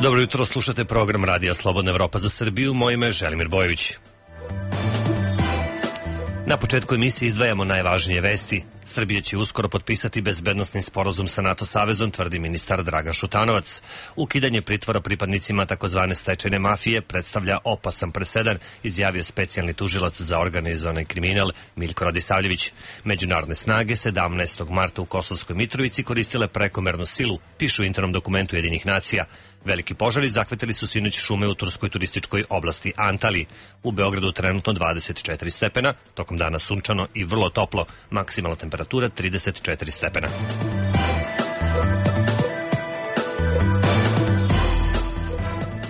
Dobro jutro, slušate program Radija Slobodna Evropa za Srbiju. Moje ime je Želimir Bojović. Na početku emisije izdvajamo najvažnije vesti. Srbija će uskoro potpisati bezbednosni sporazum sa NATO savezom, tvrdi ministar Dragan Šutanovac. Ukidanje pritvora pripadnicima takozvane stečajne mafije predstavlja opasan presedan, izjavio specijalni tužilac za organizovani kriminal Miljko Radisavljević. Međunarodne snage 17. marta u Kosovskoj Mitrovici koristile prekomernu silu, pišu u internom dokumentu Ujedinjenih nacija. Veliki požari zahvatili su sinoć šume u turskoj turističkoj oblasti Antaliji. U Beogradu trenutno 24 stepena, tokom dana sunčano i vrlo toplo, maksimalna temperatura 34 stepena.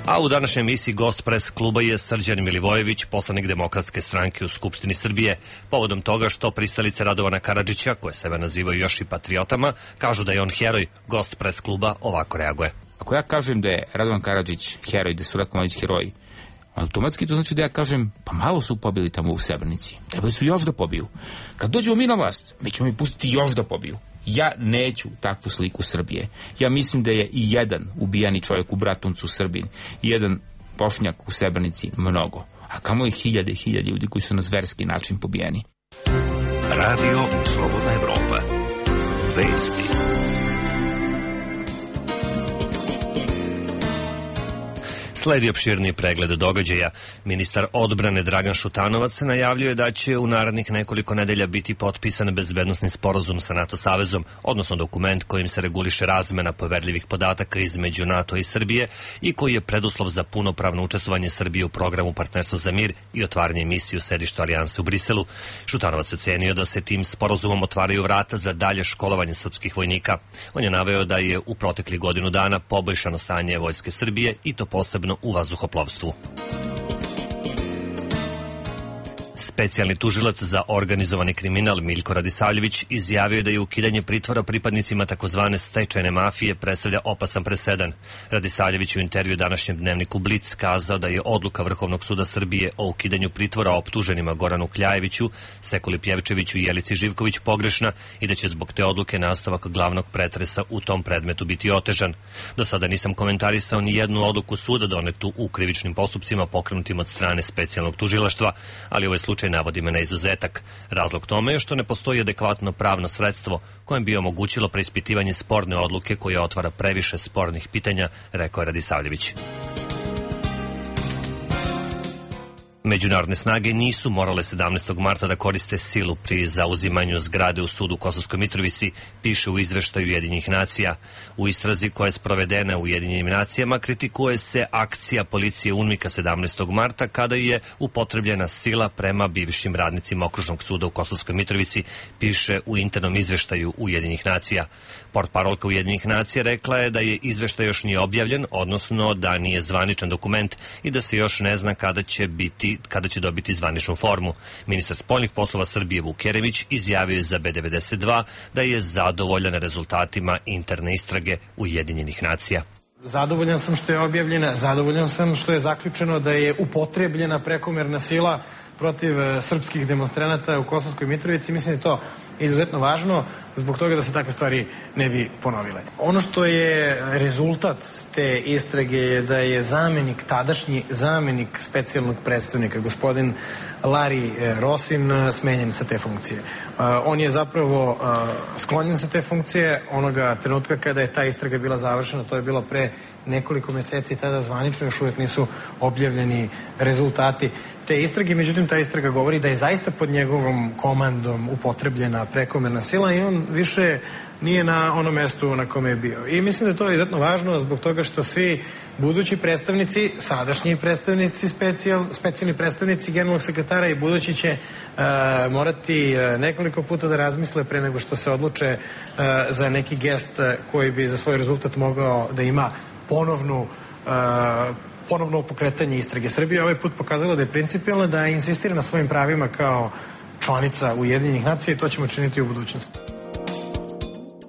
A u današnjoj emisiji gost pres kluba je Srđan Milivojević, poslanik Demokratske stranke u Skupštini Srbije. Povodom toga što pristalice Radovana Karadžića, koje sebe nazivaju još i patriotama, kažu da je on heroj, gost pres kluba ovako reaguje. Ako ja kažem da je Radovan Karadžić heroj, da su Ratko Mladić heroji, automatski to znači da ja kažem, pa malo su pobili tamo u Srebrenici, trebali su još da pobiju. Kad dođemo mi na vlast, mi ćemo ih pustiti još da pobiju. Ja neću takvu sliku Srbije. Ja mislim da je i jedan ubijeni čovjek u Bratuncu Srbin, i jedan Bošnjak u Srebrenici mnogo, a kamo je hiljade i hiljade ljudi koji su na zverski način pobijeni. Radio Slobodna Evropa. Vesti. Sledi opširniji pregled događaja. Ministar odbrane Dragan Šutanovac najavljuje da će u narednih nekoliko nedelja biti potpisan bezbednosni sporazum sa NATO savezom, odnosno dokument kojim se reguliše razmena poverljivih podataka između NATO i Srbije i koji je preduslov za punopravno učestvovanje Srbije u programu Partnerstvo za mir i otvaranje misije u sedištu Alijanse u Briselu. Šutanovac ocenio da se tim sporazumom otvaraju vrata za dalje školovanje srpskih vojnika. On je naveo da je u proteklih godinu dana poboljšano stanje vojske Srbije i to posebno u vazduhoplovstvu. Specijalni tužilac za organizovani kriminal Miljko Radisavljević izjavio da je ukidanje pritvora pripadnicima takozvane stečajne mafije predstavlja opasan presedan. Radisavljević u intervju današnjem dnevniku Blic kazao da je odluka Vrhovnog suda Srbije o ukidanju pritvora optuženima Goranu Kljajeviću, Sekuli Pjevčeviću i Jelici Živković pogrešna i da će zbog te odluke nastavak glavnog pretresa u tom predmetu biti otežan. Do sada nisam komentarisao ni jednu odluku suda donetu u krivičnim postupcima pokrenutim od strane specijalnog tužilaštva, ali ovaj slučaj navodi me na izuzetak. Razlog tome je što ne postoji adekvatno pravno sredstvo kojem bi omogućilo preispitivanje sporne odluke koja otvara previše spornih pitanja, rekao je Radisavljević. Međunarodne snage nisu morale 17. marta da koriste silu pri zauzimanju zgrade u sudu u Kosovskoj Mitrovici, piše u izveštaju Ujedinjenih nacija. U istrazi koja je sprovedena u Ujedinjenim nacijama kritikuje se akcija policije UNMIK-a 17. marta kada je upotrebljena sila prema bivšim radnicima Okružnog suda u Kosovskoj Mitrovici, piše u internom izveštaju Ujedinjenih nacija. Portparolka Ujedinjenih nacija rekla je da je izveštaj još nije objavljen, odnosno da nije zvaničan dokument i da se još ne zna kada će dobiti zvaničnu formu. Ministar spoljnih poslova Srbije Vuk Jeremić izjavio je za B92 da je zadovoljan rezultatima interne istrage Ujedinjenih nacija. Zadovoljan sam što je objavljena, zadovoljan sam što je zaključeno da je upotrebljena prekomerna sila protiv srpskih demonstranata u Kosovskoj Mitrovici. Mislim da je to izuzetno važno zbog toga da se takve stvari ne bi ponovile. Ono što je rezultat te istrage je da je tadašnji zamenik specijalnog predstavnika, gospodin Lari Rosin, smenjen sa te funkcije. On je zapravo sklonjen sa te funkcije onoga trenutka kada je ta istraga bila završena, to je bilo pre nekoliko meseci, tada zvanično još uvijek nisu objavljeni rezultati te istrage. Međutim, ta istraga govori da je zaista pod njegovom komandom upotrebljena prekomerna sila i on više nije na onom mestu na kome je bio. I mislim da je to izuzetno važno zbog toga što svi budući predstavnici, sadašnji predstavnici, specijalni predstavnici generalnog sekretara i budući će morati nekoliko puta da razmisle pre nego što se odluče za neki gest koji bi za svoj rezultat mogao da ima ponovno pokretanje istrage. Srbija ovaj put pokazala da je principijalna, da insistira na svojim pravima kao članica Ujedinjenih nacija i to ćemo činiti u budućnosti.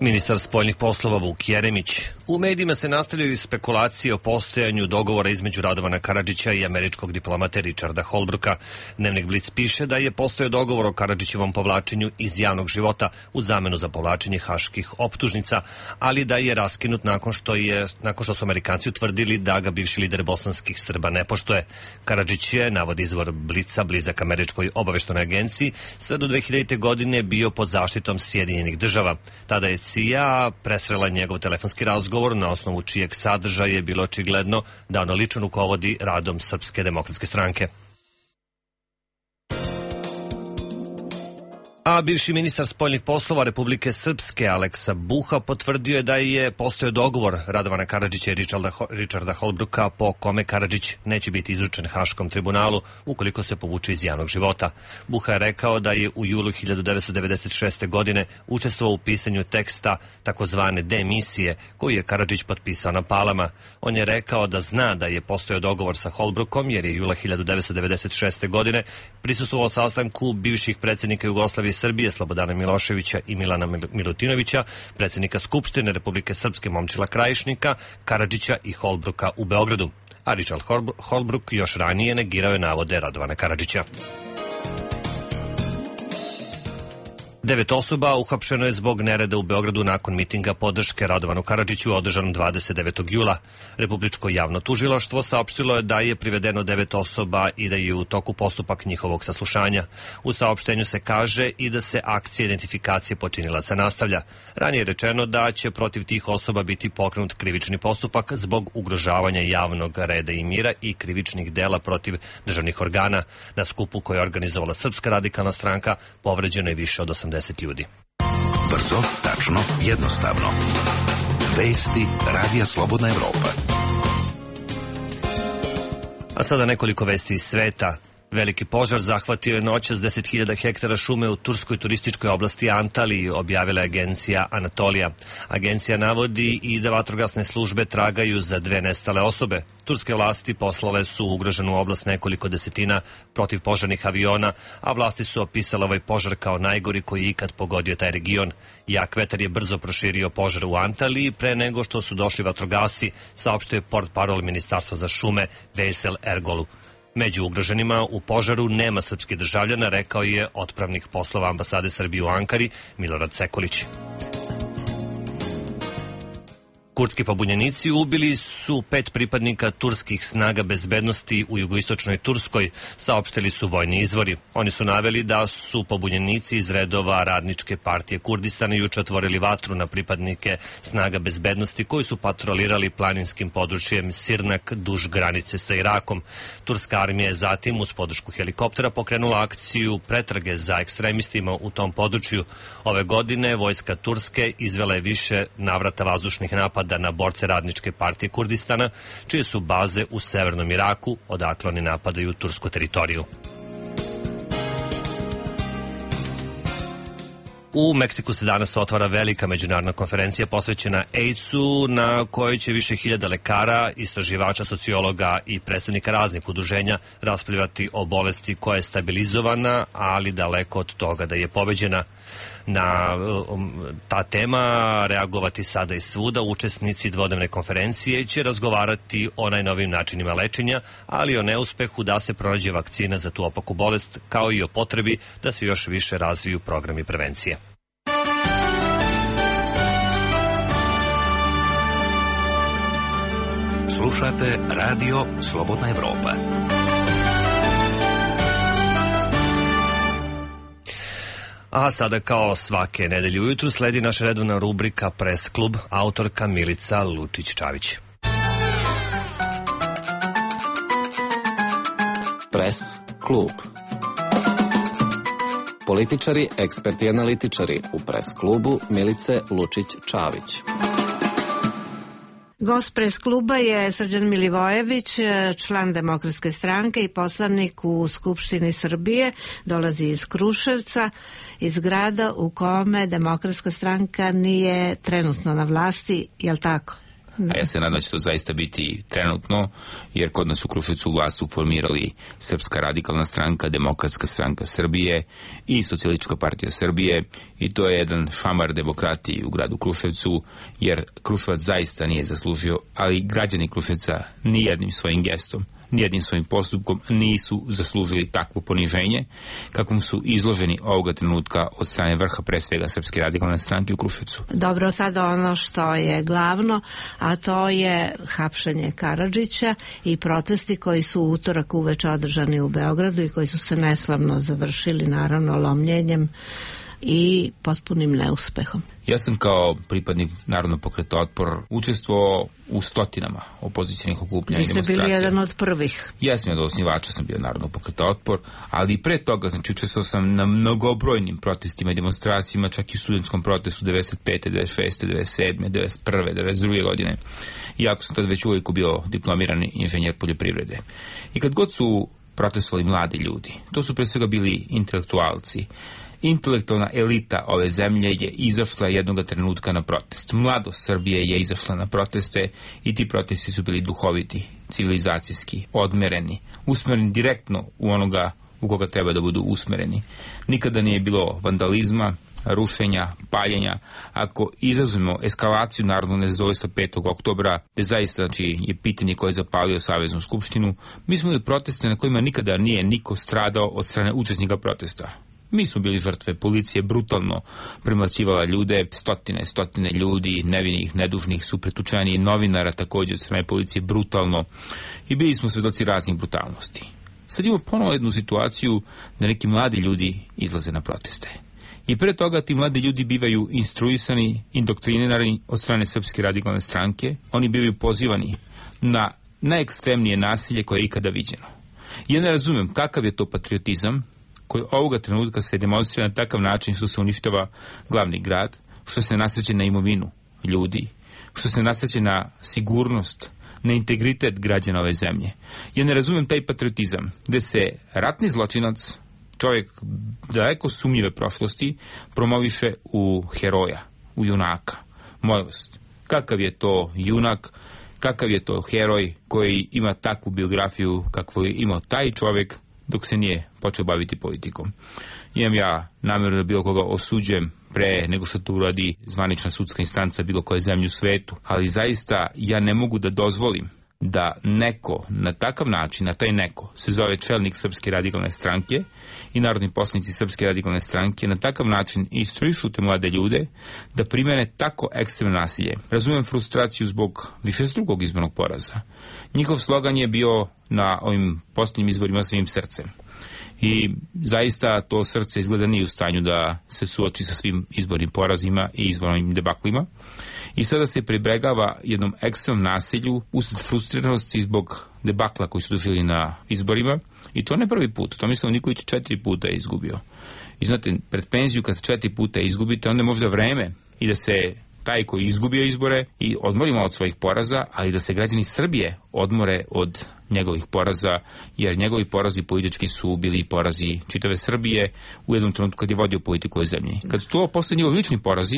Ministar spoljnih poslova Vuk Jeremić. U medijima se nastavljaju spekulacije o postojanju dogovora između Radovana Karadžića i američkog diplomata Richarda Holbrooka. Dnevnik Blic piše da je postojao dogovor o Karadžićevom povlačenju iz javnog života u zamenu za povlačenje haških optužnica, ali da je raskinut nakon što su Amerikanci utvrdili da ga bivši lider bosanskih Srba ne poštuje. Karadžić je, navodi izvor Blica, blizak američkoj obaveštajnoj agenciji, sve do 2000. godine bio pod zaštitom Sjedinjenih država. Tada je CIA presrela njegov telefonski razgovor, na osnovu čijeg sadržaja je bilo očigledno da ono lično rukovodi radom Srpske demokratske stranke. A bivši ministar spoljnih poslova Republike Srpske Aleksa Buha potvrdio je da je postojao dogovor Radovana Karadžića i Richarda Holbrooka po kome Karadžić neće biti izručen Haškom tribunalu ukoliko se povuče iz javnog života. Buha je rekao da je u julu 1996. godine učestvovao u pisanju teksta takozvane demisije koju je Karadžić potpisao na Palama. On je rekao da zna da je postojao dogovor sa Holbrookom jer je jula 1996. godine prisustvovao sastanku bivših predsjednika Jugoslavije Srbije Slobodana Miloševića i Milana Milutinovića, predsjednika Skupštine Republike Srpske Momčila Krajišnika, Karadžića i Holbrooka u Beogradu. A Richard Holbrook još ranije negirao je navode Radovana Karadžića. 9 osoba uhapšeno je zbog nereda u Beogradu nakon mitinga podrške Radovanu Karadžiću održanom 29. jula. Republičko javno tužilaštvo saopštilo je da je privedeno 9 osoba i da je u toku postupak njihovog saslušanja. U saopštenju se kaže i da se akcija identifikacije počinilaca nastavlja. Ranije je rečeno da će protiv tih osoba biti pokrenut krivični postupak zbog ugrožavanja javnog reda i mira i krivičnih dela protiv državnih organa. Na skupu koje je organizovala Srpska radikalna stranka povređeno je više od 80 ljudi. Brzo, tačno, jednostavno. Vesti Radija Slobodna Evropa. A sada nekoliko vesti iz sveta. Veliki požar zahvatio je noćas 10.000 hektara šume u turskoj turističkoj oblasti Antaliji, objavila je agencija Anatolija. Agencija navodi i da vatrogasne službe tragaju za 2 nestale osobe. Turske vlasti poslale su ugroženu oblast nekoliko desetina protivpožarnih aviona, a vlasti su opisale ovaj požar kao najgori koji je ikad pogodio taj region. Jak vetar je brzo proširio požar u Antaliji pre nego što su došli vatrogasci, saopštio je portparol Ministarstva za šume Veysel Ergolu. Među ugroženima u požaru nema srpskih državljana, rekao je otpravnik poslova ambasade Srbije u Ankari Milorad Sekulić. Kurdski pobunjenici ubili su 5 pripadnika turskih snaga bezbednosti u jugoistočnoj Turskoj, saopštili su vojni izvori. Oni su naveli da su pobunjenici iz redova Radničke partije Kurdistana juče otvorili vatru na pripadnike snaga bezbednosti koji su patrolirali planinskim područjem Sirnak duž granice sa Irakom. Turska armija je zatim uz podršku helikoptera pokrenula akciju pretrage za ekstremistima u tom području. Ove godine vojska Turske izvela je više navrata vazdušnih napada na borce Radničke partije Kurdistana, čije su baze u severnom Iraku, odakle oni napadaju tursku teritoriju. U Meksiku se danas otvara velika međunarodna konferencija posvećena AIDS-u, na kojoj će više hiljada lekara, istraživača, sociologa i predstavnika raznih udruženja raspravljati o bolesti koja je stabilizovana, ali daleko od toga da je pobeđena. Na ta tema reagovati sada i svuda. Učesnici dvodnevne konferencije će razgovarati o najnovijim načinima lečenja, ali i o neuspehu da se pronađe vakcina za tu opaku bolest, kao i o potrebi da se još više razviju programi prevencije. Slušate Radio Slobodna Evropa. A sada kao svake nedelje ujutru sledi naša redovna rubrika Press klub, autorka Milica Lučić-Čavić. Press klub. Političari, eksperti i analitičari u Press klubu Milice Lučić-Čavić. Gost Press kluba je Srđan Milivojević, član Demokratske stranke i poslanik u Skupštini Srbije. Dolazi iz Kruševca, iz grada u kome Demokratska stranka nije trenutno na vlasti, je li tako? a ja se nadam da će to zaista biti trenutno, jer kod nas u Kruševcu vlast su formirali Srpska radikalna stranka, Demokratska stranka Srbije i Socijalistička partija Srbije, i to je jedan šamar demokratiji u gradu Kruševcu, jer Kruševac zaista nije zaslužio, ali građani Kruševca nijednim svojim gestom, nijednim svojim postupkom nisu zaslužili takvo poniženje kakvom su izloženi ovoga trenutka od strane vrha, pre svega Srpske radikalne stranke u Kruševcu. Dobro, sada ono što je glavno, a to je hapšenje Karadžića i protesti koji su u utorak uveče održani u Beogradu i koji su se neslavno završili, naravno, lomljenjem i potpunim neuspehom. Ja sam kao pripadnik Narodnog pokreta Otpor učestvovao u stotinama opozicijnih okupljanja i demonstracija. Vi ste bili jedan od prvih. Ja sam od osnivača sam bio Narodnog pokreta Otpor, ali i pre toga, znači, učestvovao sam na mnogobrojnim protestima i demonstracijama, čak i u studentskom protestu 95. 96. 97. 91. 92. godine. Iako sam tad već uvijek bio diplomirani inženjer poljoprivrede. I kad god su protestovali mladi ljudi, to su pre svega bili intelektualci. Intelektualna elita ove zemlje je izašla jednoga trenutka na protest. Mladost Srbije je izašla na proteste i ti protesti su bili duhoviti, civilizacijski, odmereni, usmereni direktno u onoga u koga treba da budu usmereni. Nikada nije bilo vandalizma, rušenja, paljenja. Ako izazovemo eskalaciju narodnog nezadovoljstva 5. oktobra, gde zaista, znači, je pitanje koje je zapalio Saveznu skupštinu, mi smo imali proteste na kojima nikada nije niko stradao od strane učesnika protesta. Mi smo bili žrtve, policija brutalno premlaćivala ljude, stotine ljudi, nevinih, nedužnih su pretučeni, novinara također od strane policije brutalno, i bili smo svedoci raznih brutalnosti. Sad imamo ponovo jednu situaciju da neki mladi ljudi izlaze na proteste. I pre toga ti mladi ljudi bivaju instruisani, indoktrinirani od strane Srpske radikalne stranke, oni bivaju pozivani na najekstremnije nasilje koje je ikada viđeno. Ja ne razumem kakav je to patriotizam koji ovoga trenutka se demonstrira na takav način što se uništava glavni grad, što se nasreće na imovinu ljudi, što se nasreće na sigurnost, na integritet građana ove zemlje. Ja ne razumem taj patriotizam gde se ratni zločinac, čovjek daleko sumnjive prošlosti, promoviše u heroja, u junaka. Molim vas, kakav je to junak, kakav je to heroj koji ima takvu biografiju kakvu je imao taj čovjek dok se nije počeo baviti politikom. Imam ja namjeru da bilo koga osuđujem pre nego što to uradi zvanična sudska instanca bilo koje zemlje u svetu, ali zaista ja ne mogu da dozvolim da neko na takav način, na taj neko se zove čelnik Srpske radikalne stranke i narodni poslanici Srpske radikalne stranke, na takav način instruišu te mlade ljude da primene tako ekstremno nasilje. Razumem frustraciju zbog višestrukog izbornog poraza. Njihov slogan je bio na ovim posljednjim izborima svim srcem. I zaista to srce izgleda nije u stanju da se suoči sa svim izbornim porazima i izbornim debaklima. I sada se pribegava jednom ekstremnom nasilju usled frustriranosti zbog debakla koji su doživjeli na izborima. I to ne prvi put. To mislim Nikolić 4 puta je izgubio. I znate, pred penziju kad 4 puta izgubite, onda je možda vreme i da se taj koji izgubio izbore i odmorimo od svojih poraza, ali da se građani Srbije odmore od njegovih poraza, jer njegovi porazi politički su bili porazi čitave Srbije u jednom trenutku kad je vodio politiku u zemlji. Kad su to postali njegovi lični porazi,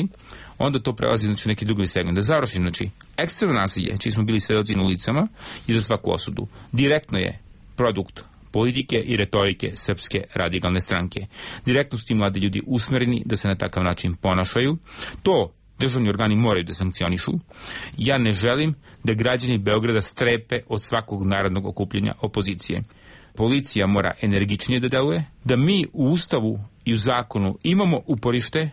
onda to prelazi, znači, neki drugi segment. Da završim, znači, ekstremno nasilje, čiji smo bili svedoci na ulicama, i za svaku osudu. Direktno je produkt politike i retorike Srpske radikalne stranke. Direktno su ti mladi ljudi usmereni da se na takav način ponašaju. To državni organi moraju da sankcionišu. Ja ne želim da građani Beograda strepe od svakog narodnog okupljenja opozicije. Policija mora energičnije da deluje, da mi u Ustavu i u zakonu imamo uporište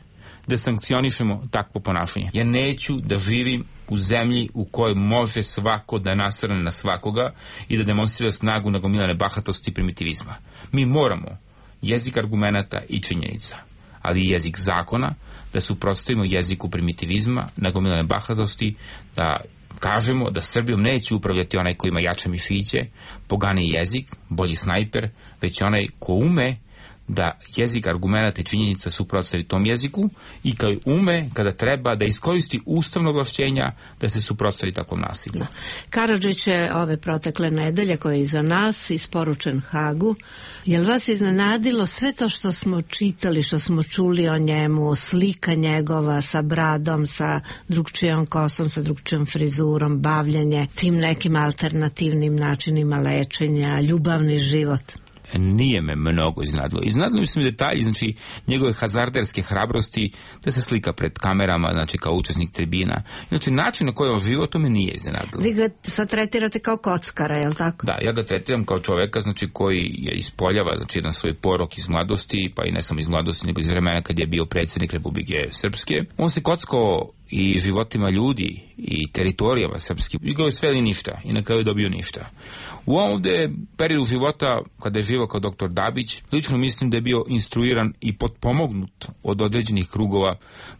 da sankcionišemo takvo ponašanje. Ja neću da živim u zemlji u kojoj može svako da nasrne na svakoga i da demonstrira snagu nagomilane bahatosti i primitivizma. Mi moramo jezik argumenata i činjenica, ali i jezik zakona, da suprotstavimo jeziku primitivizma, nagomilane bahatosti, da kažemo da Srbijom neće upravljati onaj ko ima jače mišiće, poganiji jezik, bolji snajper, već onaj ko ume da jezik argumenata i činjenica suprotstavi tom jeziku i kao ume, kada treba, da iskoristi ustavno ovlašćenja da se suprotstavi takvom nasilju. Karadžić je ove protekle nedelje koje je iza nas isporučen Hagu. Je li vas iznenadilo sve to što smo čitali, što smo čuli o njemu, slika njegova sa bradom, sa drugčijom kosom, sa drugčijom frizurom, bavljenje tim nekim alternativnim načinima lečenja, ljubavni život? Nije me mnogo iznadilo. Iznadilo mi su mi detalji, znači njegove hazarderske hrabrosti, da se slika pred kamerama, znači kao učesnik tribina. Znači način na koji on živo, to me nije iznadilo. Vi ga sad tretirate kao kockara, je li tako? Da, ja ga tretiram kao čoveka, znači koji je ispoljava, znači jedan svoj porok iz mladosti, pa i ne samo iz mladosti, nego iz vremena kad je bio predsjednik Republike Srpske. On se kockao i životima ljudi i teritorijama srpskih. Igrao je sve ili ništa i na kraju je dobio ništa. U ovdje periodu života, kada je živao kao doktor Dabić, lično mislim da je bio instruiran i potpomognut od određenih krugova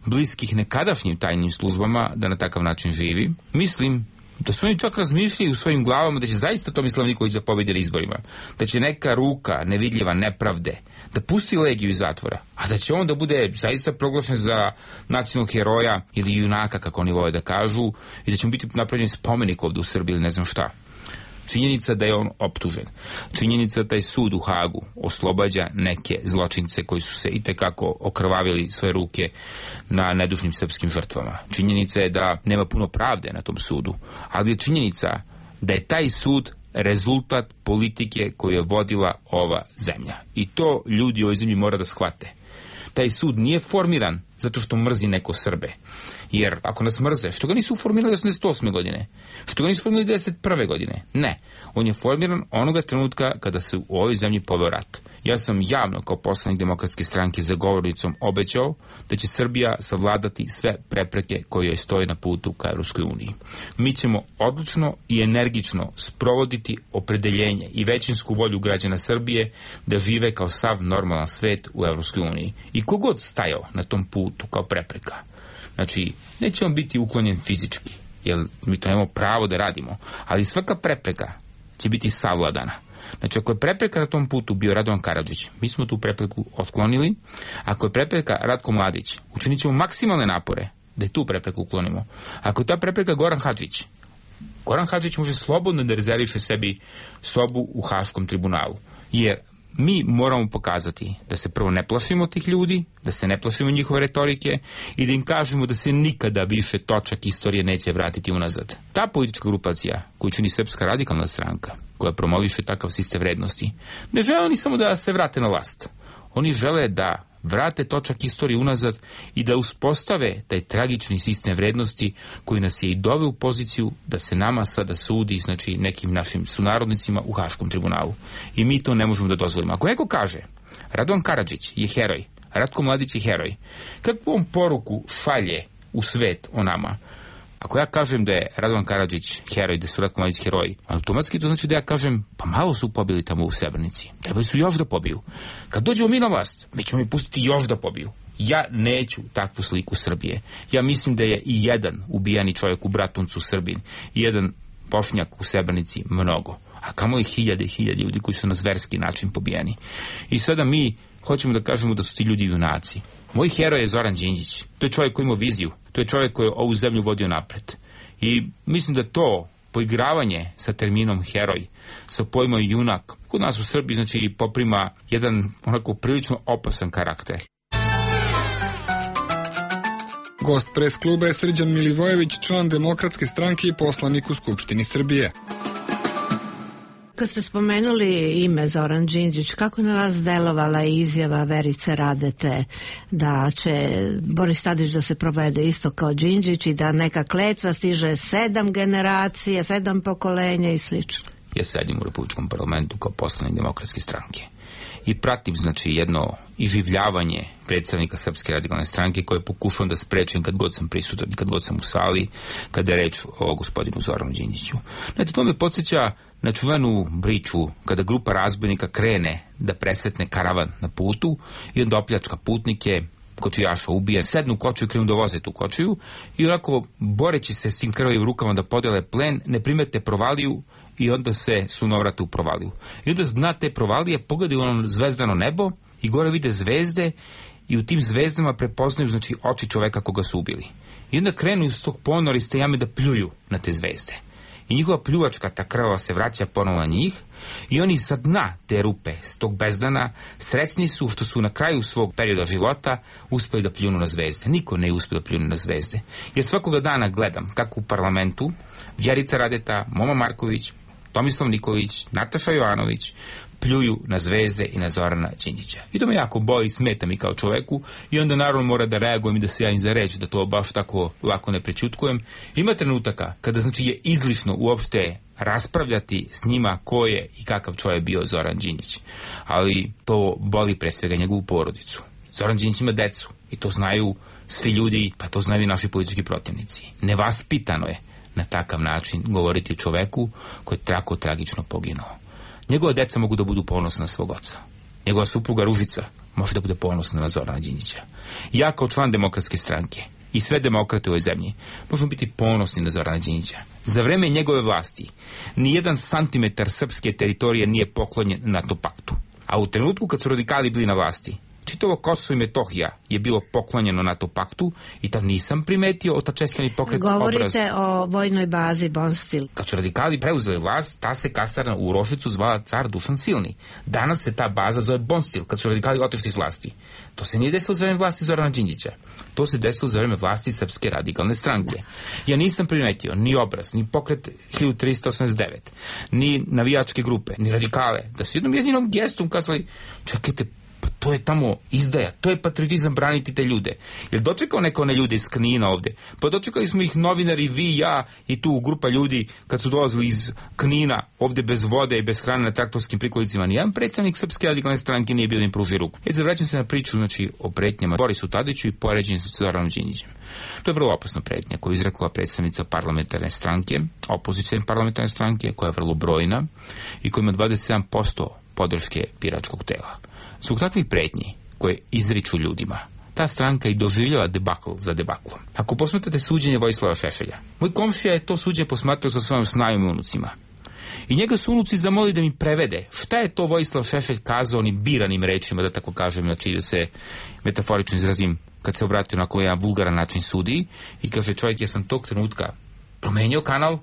bliskih nekadašnjim tajnim službama da na takav način živi. Mislim da su oni čak razmišljali u svojim glavama da će zaista Tomislav Nikolić da pobedi na izborima. Da će neka ruka nevidljiva nepravde da pusti Legiju iz zatvora, a da će on da bude zaista proglašen za nacionalnog heroja ili junaka, kako oni vole da kažu, i da će mu biti napravljen spomenik ovdje u Srbiji ili ne znam šta. Činjenica da je on optužen. Činjenica da taj sud u Hagu oslobađa neke zločince koji su se itekako okrvavili svoje ruke na nedužnim srpskim žrtvama. Činjenica je da nema puno pravde na tom sudu, ali je činjenica da je taj sud rezultat politike koju je vodila ova zemlja. I to ljudi u ovoj zemlji mora da shvate. Taj sud nije formiran zato što mrzi neko Srbe. Jer ako nas mrze, što ga nisu formirali 88. godine? Što ga nisu formirali 91. godine? Ne. On je formiran onoga trenutka kada se u ovoj zemlji poveo rat. Ja sam javno kao poslanik Demokratske stranke za govornicom obećao da će Srbija savladati sve prepreke koje joj stoje na putu ka Evropskoj uniji. Mi ćemo odlučno i energično sprovoditi opredeljenje i većinsku volju građana Srbije da žive kao sav normalan svet u Evropskoj uniji. I kogod stajao na tom putu kao prepreka, znači, neće on biti uklonjen fizički, jer mi to nemamo pravo da radimo, ali svaka prepreka će biti savladana. Znači, ako je prepreka na tom putu bio Radovan Karadžić, mi smo tu prepreku otklonili. Ako je prepreka Ratko Mladić, učinit ćemo maksimalne napore da je tu prepreku uklonimo. Ako je ta prepreka Goran Hadžić, Goran Hadžić može slobodno da rezerviše sebi sobu u Haškom tribunalu, jer mi moramo pokazati da se prvo ne plašimo tih ljudi, da se ne plašimo njihove retorike i da im kažemo da se nikada više točak istorije neće vratiti unazad. Ta politička grupacija koju čini Srpska radikalna stranka, koja promoviše takav sistem vrednosti, ne žele oni samo da se vrate na vlast. Oni žele da vrate točak istorije unazad i da uspostave taj tragični sistem vrednosti koji nas je i doveo u poziciju da se nama sada sudi, znači nekim našim sunarodnicima u Haškom tribunalu. I mi to ne možemo da dozvolimo. Ako neko kaže Radovan Karadžić je heroj, Ratko Mladić je heroj, kakvu on poruku šalje u svet o nama? Ako ja kažem da je Radovan Karadžić heroj, da su Ratko Mladić heroji, automatski to znači da ja kažem, pa malo su pobili tamo u Srebrenici, trebali su još da pobiju. Kad dođemo mi na vlast, mi ćemo mi pustiti još da pobiju. Ja neću takvu sliku Srbije. Ja mislim da je i jedan ubijani čovjek u Bratuncu Srbin, i jedan Bošnjak u Srebrenici mnogo, a kamo i hiljade i hiljade ljudi koji su na zverski način pobijeni. I sada mi hoćemo da kažemo da su ti ljudi junaci. Moj heroj je Zoran Đinđić. To je čovjek koji ima viziju. To je čovjek koji je ovu zemlju vodio napred. I mislim da to poigravanje sa terminom heroj, sa pojmom junak, kod nas u Srbiji znači poprima jedan onako prilično opasan karakter. Gost pres kluba je Srđan Milivojević, član Demokratske stranke i poslanik u Skupštini Srbije. Kad ste spomenuli ime Zoran Đinđić, kako na vas delovala izjava Verice Radete da će Boris Tadić da se provede isto kao Đinđić i da neka kletva stiže 7 generacija, 7 pokolenja i slično? Ja sedim u Republičkom parlamentu kao poslanik Demokratske stranke i pratim znači jedno iživljavanje predstavnika Srpske radikalne stranke koje pokušavam da sprečem kad god sam prisutan i kad god sam u sali kada je reč o gospodinu Zoranu Đinđiću. Znači, to me podsjeća na čuvenu priču kada grupa razbojnika krene da presretne karavan na putu i onda opljačka putnike, kočijaša ubije, sednu u kočiju i krenu da voze tu kočiju i onako boreći se s tim krvavim rukama da podele plen, ne primete provaliju i onda se sunovrate u provaliju. I onda zna te provalije, pogledaju ono zvezdano nebo i gore vide zvezde i u tim zvezdama prepoznaju, znači, oči čoveka koga su ubili. I onda krenu iz tog ponora, iz te jame da pljuju na te zvezde. I njihova pljuvačka, ta krvava, se vraća ponovo na njih i oni sa dna te rupe, s tog bezdana, srećni su što su na kraju svog perioda života uspeli da pljunu na zvezde. Niko ne uspio da pljunu na zvezde. Jer svakoga dana gledam kako u parlamentu Vjerica Radeta, Momo Marković, Tomislav Nikolić, Nataša Jovanović pljuju na zvezde i na Zorana Đinđića. I to me jako boli, smeta mi kao čoveku i onda naravno mora da reagujem i da se javim za reč, da to baš tako lako ne prećutkujem. Ima trenutaka kada, znači, je izlišno uopšte raspravljati s njima ko je i kakav čovjek bio Zoran Đinđić. Ali to boli pre svega njegovu porodicu. Zoran Đinđić ima decu i to znaju svi ljudi, pa to znaju i naši politički protivnici. Nevaspitano je na takav način govoriti o čoveku koji je tako tragično poginuo. Njegova deca mogu da budu ponosna na svog oca. Njegova supruga Ružica može da bude ponosna na Zorana Đinđića. Ja kao član Demokratske stranke i sve demokrate u ovoj zemlji možemo biti ponosni na Zorana Đinđića. Za vreme njegove vlasti ni 1 santimetar srpske teritorije nije poklonjen NATO paktu. A u trenutku kad su radikali bili na vlasti, čitavo Kosovo i Metohija je bilo poklonjeno NATO paktu i tad nisam primetio otačesljeni pokret obraz. Govorite o vojnoj bazi Bonstil. Kad su radikali preuzeli vlast, ta se kasarna u Uroševcu zvala Car Dušan Silni. Danas se ta baza zove Bonstil, kad su radikali otišli iz vlasti. To se nije desilo za vreme vlasti Zorana Đinđića. To se desilo za vreme vlasti Srpske radikalne stranke. Ja nisam primetio ni obraz, ni pokret 1389, ni navijačke grupe, ni radikale, da su jednom jedinom gestom kazali, čekajte, to je tamo izdaja, to je patriotizam braniti te ljude. Jer dočekao neko one ljude iz Knina ovde? Pa dočekali smo ih novinari, vi, ja i tu grupa ljudi kad su dolazili iz Knina ovde bez vode i bez hrane na traktorskim prikolicima. Nijedan predstavnik Srpske radikalne stranke nije bio da im pruži ruku. Zavraćam se na priču, znači, o pretnjama Borisu Tadiću i poređenju sa Zoranom Đinđićem. To je vrlo opasna pretnja koju izrekla predstavnica parlamentarne stranke, opozicijne parlamentarne stranke, koja je vrlo brojna i koja ima 27% podrške biračkog tela. Zbog takvih pretnji koje izriču ljudima, ta stranka i doživljava debakl za debaklom. Ako posmatrate suđenje Vojislava Šešelja, moj komšija je to suđenje posmatrao sa svojim snajom i unucima. I njega su unuci zamoli da mi prevede šta je to Vojislav Šešelj kazao onim biranim rečima, da tako kažem, znači da se metaforično izrazim, kad se obratio na jedan vulgaran način sudiji i kaže, čovjek, ja sam tog trenutka promenio kanal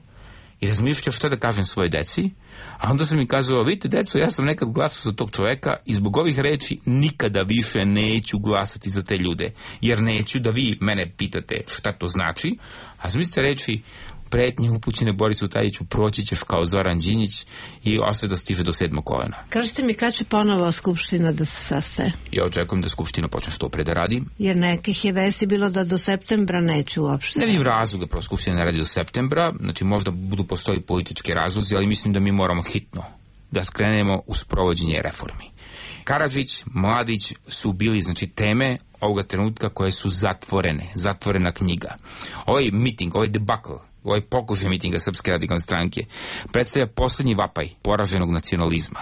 i razmišljao šta da kažem svoje deci, a onda sam mi kazao, vidite deco, ja sam nekad glasao za tog čoveka i zbog ovih reči nikada više neću glasati za te ljude, jer neću da vi mene pitate šta to znači, a zamislite reči pretnje upućene Borisu Tadiću, proći ćeš kao Zoran Đinđić i osveta stiže do 7. kolena. Kažete mi kad će ponovo Skupština da se sastaje? Ja očekujem da Skupština počne što pre da radi. Jer nekih je vesti bilo da do septembra neće uopšte. Ne vidim razlog da prvo Skupština ne radi do septembra, znači možda budu postoji politički razlozi, ali mislim da mi moramo hitno da skrenemo u sprovođenje reformi. Karadžić, Mladić su bili, znači, teme ovoga trenutka koje su zatvorena knjiga. Ovaj miting, ovaj debakl, ovaj pokušaj mitinga Srpske radikalne stranke predstavlja poslednji vapaj poraženog nacionalizma.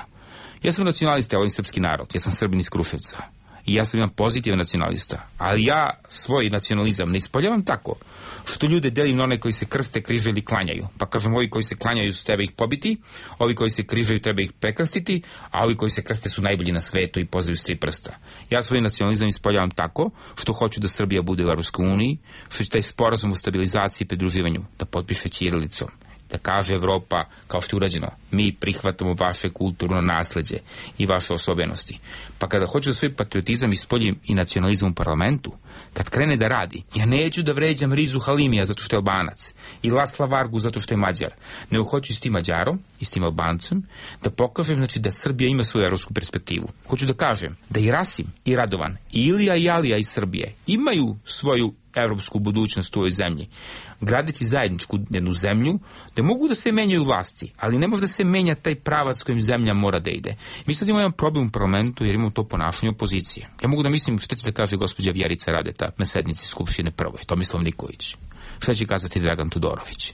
Ja sam nacionalista, ja volim srpski narod, ja sam Srbin iz Kruševca i ja sam jedan pozitivan nacionalista, ali ja svoj nacionalizam ne ispoljavam tako što ljude delim na one koji se krste, križaju ili klanjaju. Pa kažem, ovi koji se klanjaju su treba ih pobiti, ovi koji se križaju treba ih prekrstiti, a ovi koji se krste su najbolji na svetu i pozivaju s 3 prsta. Ja svoj nacionalizam ispoljavam tako što hoću da Srbija bude u Evropskoj uniji, što će taj sporazum o stabilizaciji i pridruživanju da potpiše ćirilicom, da kaže Evropa, kao što je urađeno, mi prihvatamo vaše kulturno nasleđe i vaše osobenosti. Pa kada hoću da svoj patriotizam ispoljim i nacionalizam u parlamentu, kad krene da radi, ja neću da vređam Rizu Halimija zato što je Albanac i Lasla Vargu zato što je Mađar, nego hoću s tim Mađarom i s tim Albancem da pokažem, znači, da Srbija ima svoju evropsku perspektivu. Hoću da kažem da i Rasim i Radovan i Ilija i Alija iz Srbije imaju svoju evropsku budućnost u ovoj zemlji, gradeći zajedničku jednu zemlju, da mogu da se menjaju vlasti, ali ne može da se menja taj pravac kojim zemlja mora da ide. Mi sad imamo jedan problem u parlamentu jer imamo to ponašanje opozicije. Ja mogu da mislim šta će da kaže gospođa Vjerica Radeta na sednici Skupštine prvoj, Tomislav Nikolić. Šta će kazati Dragan Tudorović?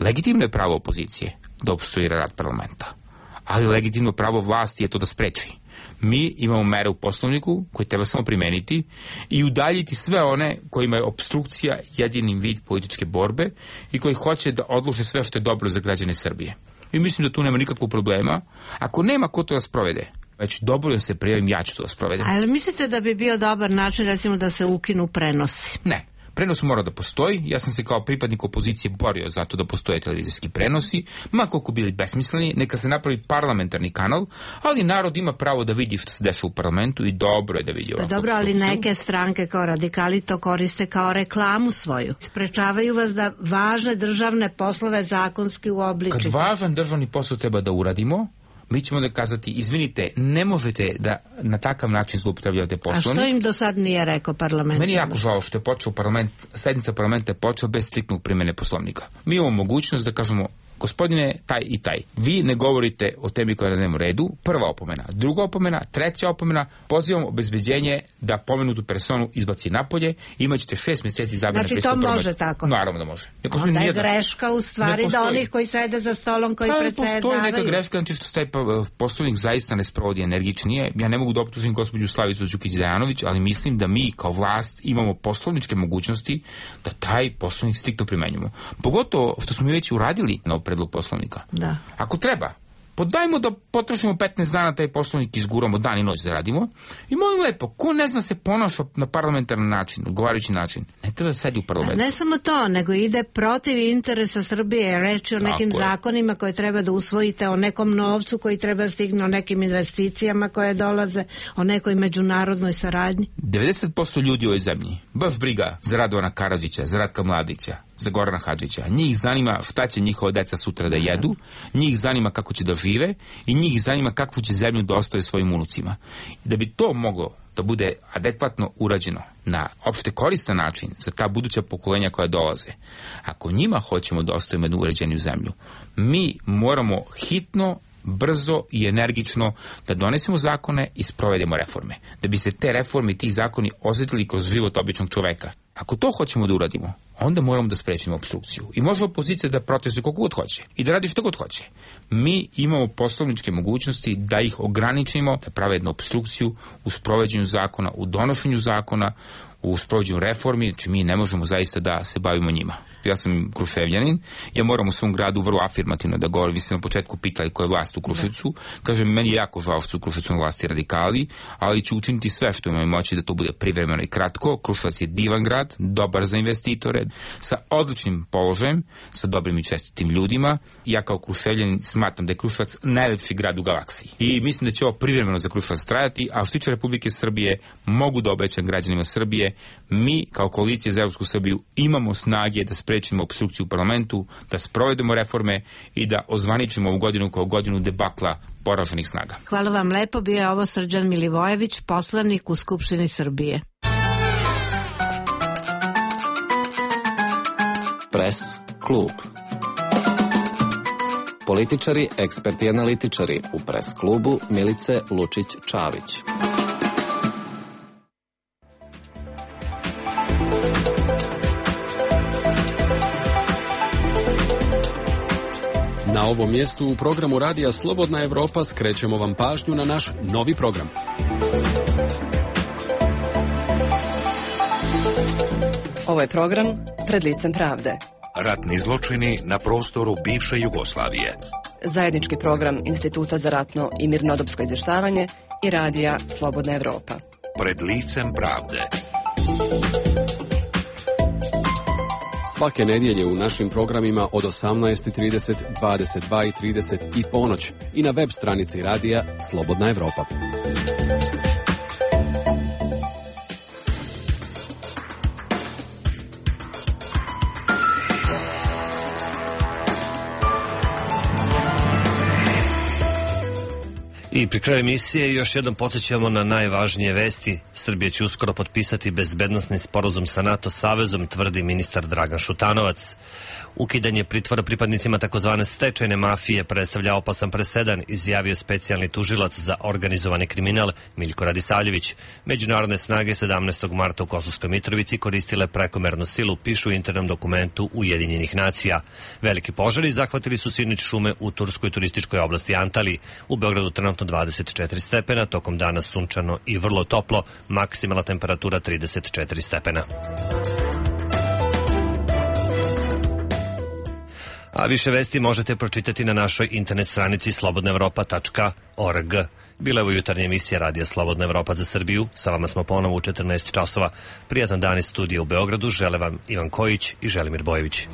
Legitimno je pravo opozicije da opstruira rad parlamenta, ali legitimno pravo vlasti je to da spreči. Mi imamo mere u Poslovniku koje treba samo primeniti i udaljiti sve one kojima je opstrukcija jedini vid političke borbe i koji hoće da odlože sve što je dobro za građane Srbije. I mislim da tu nema nikakvog problema. Ako nema ko to da sprovede, Već dobro se prijavim, ja ću to sprovedem. Ali mislite da bi bio dobar način, recimo, da se ukinu prenosi? Ne. Prenos mora da postoji. Ja sam se kao pripadnik opozicije borio za to da postoje televizijski prenosi, ma koliko bili besmisleni, neka se napravi parlamentarni kanal, ali narod ima pravo da vidi što se dešava u parlamentu i dobro je da vidi ovakvu dobro, ali neke stranke kao radikali to koriste kao reklamu svoju. Sprečavaju vas da važne državne poslove zakonski uobličite. Kad važan državni posao treba da uradimo, mi ćemo da kazati, izvinite, ne možete da na takav način zloupotrebljavate Poslovnik. A što im do sad nije rekao parlament? Meni je jako žao što je počeo sednica parlamenta je počela bez striktnog primjene Poslovnika. Mi imamo mogućnost da kažemo, gospodine taj i taj, vi ne govorite o temi koja je na dnevnom redu, prva opomena, druga opomena, treća opomena, pozivam obezbeđenje da pomenutu personu izbaci napolje, imaćete 6 mjeseci zabrane. Znači to može tako? Naravno da može. Onda je greška u stvari da onih koji sede za stolom, koji predsjedavaju. Postoji neka greška, znači što taj Poslovnik zaista ne sprovodi energičnije. Ja ne mogu da optužim gospođu Slavicu Đukić-Dejanović, ali mislim da mi kao vlast imamo poslovničke mogućnosti da taj Poslovnik striktno primenjujemo. Pogotovo što smo mi već uradili na predlog Poslovnika. Da. Ako treba, podajmo da potrošimo 15 dana taj Poslovnik, izguramo dan i noć da radimo i molim lepo, ko ne zna se ponaša na parlamentarni način, odgovarajući način, ne treba da sedi u parlamentu. Ne samo to, nego ide protiv interesa Srbije, reći o nekim zakonima koje treba da usvojite, o nekom novcu koji treba stigne, o nekim investicijama koje dolaze, o nekoj međunarodnoj saradnji. 90% ljudi u ovoj zemlji, baš briga za Radovana Karadžića, za Ratka Mladića, za Gorana Hadžića. Njih zanima šta će njihova deca sutra da jedu, njih zanima kako će da žive i njih zanima kakvu će zemlju da ostave svojim unucima. I da bi to moglo da bude adekvatno urađeno na opšte koristan način za ta buduća pokolenja koja dolaze, ako njima hoćemo da ostavimo jednu uređeniju zemlju, mi moramo hitno, brzo i energično da donesemo zakone i sprovedemo reforme. Da bi se te reforme i ti zakoni osjetili kroz život običnog čoveka. Ako to hoćemo da uradimo, onda moramo da sprečimo opstrukciju. I može opozicija da protestuje koliko god hoće i da radi što god hoće. Mi imamo poslovničke mogućnosti da ih ograničimo, da prave jednu opstrukciju u sprovođenju zakona, u donošenju zakona, u sprovođenju reformi, znači mi ne možemo zaista da se bavimo njima. Ja sam Kruševljanin, ja moram u svom gradu vrlo afirmativno da govorim. Vi ste na početku pitali ko je vlast u Kruševcu. Kažem, meni je jako žao što su u Kruševcu na vlasti radikali, ali ću učiniti sve što imam moći da to bude privremeno i kratko. Kruševac je divan grad, dobar za investitore, sa odličnim položajem, sa dobrim i čestitim ljudima. Ja kao Kruševljanin smatram da je Kruševac najlepši grad u galaksiji. I mislim da će ovo privremeno za Kruševac trajati, a što se tiče Republike Srbije, mogu da obećam građanima Srbije, mi kao koalicija za Evropsku Srbiju imamo snage da sprečimo opstrukciju u parlamentu, da sprovedemo reforme i da ozvaničimo ovu godinu kao godinu debakla poraženih snaga. Hvala vam lepo, bio je ovo Srđan Milivojević, poslanik u Skupštini Srbije. Pres klub. Političari, eksperti i analitičari u Pres klubu Milice Lučić-Čavić. Na ovom mjestu u programu Radija Slobodna Evropa skrećemo vam pažnju na naš novi program. Ovo je program Pred licem pravde. Ratni zločini na prostoru bivše Jugoslavije. Zajednički program Instituta za ratno i mirnodopsko izvještavanje i Radija Slobodna Evropa. Pred licem pravde. Svake nedjelje u našim programima od 18:30, 22:30 i ponoć i na web stranici Radija Slobodna Evropa. I pri kraju emisije još jednom podsjećamo na najvažnije vesti. Srbija će uskoro potpisati bezbednosni sporazum sa NATO savezom, tvrdi ministar Dragan Šutanovac. Ukidanje pritvora pripadnicima takozvane stečajne mafije predstavlja opasan presedan, izjavio specijalni tužilac za organizovani kriminal Miljko Radisavljević. Međunarodne snage 17. marta u Kosovskoj Mitrovici koristile prekomernu silu, pišu u internom dokumentu Ujedinjenih nacija. Veliki požari zahvatili su sinoć šume u turskoj turističkoj oblasti Antali. U Beogradu trenutno 24 stepena, tokom dana sunčano i vrlo toplo, maksimalna temperatura 34 stepena. A više vesti možete pročitati na našoj internet stranici slobodnaevropa.org. Bila je ovo jutarnja emisija Radija Slobodna Evropa za Srbiju. Sa vama smo ponovo u 14 časova. Prijatan dan iz studija u Beogradu. Žele vam Ivan Kojić i Želimir Bojević.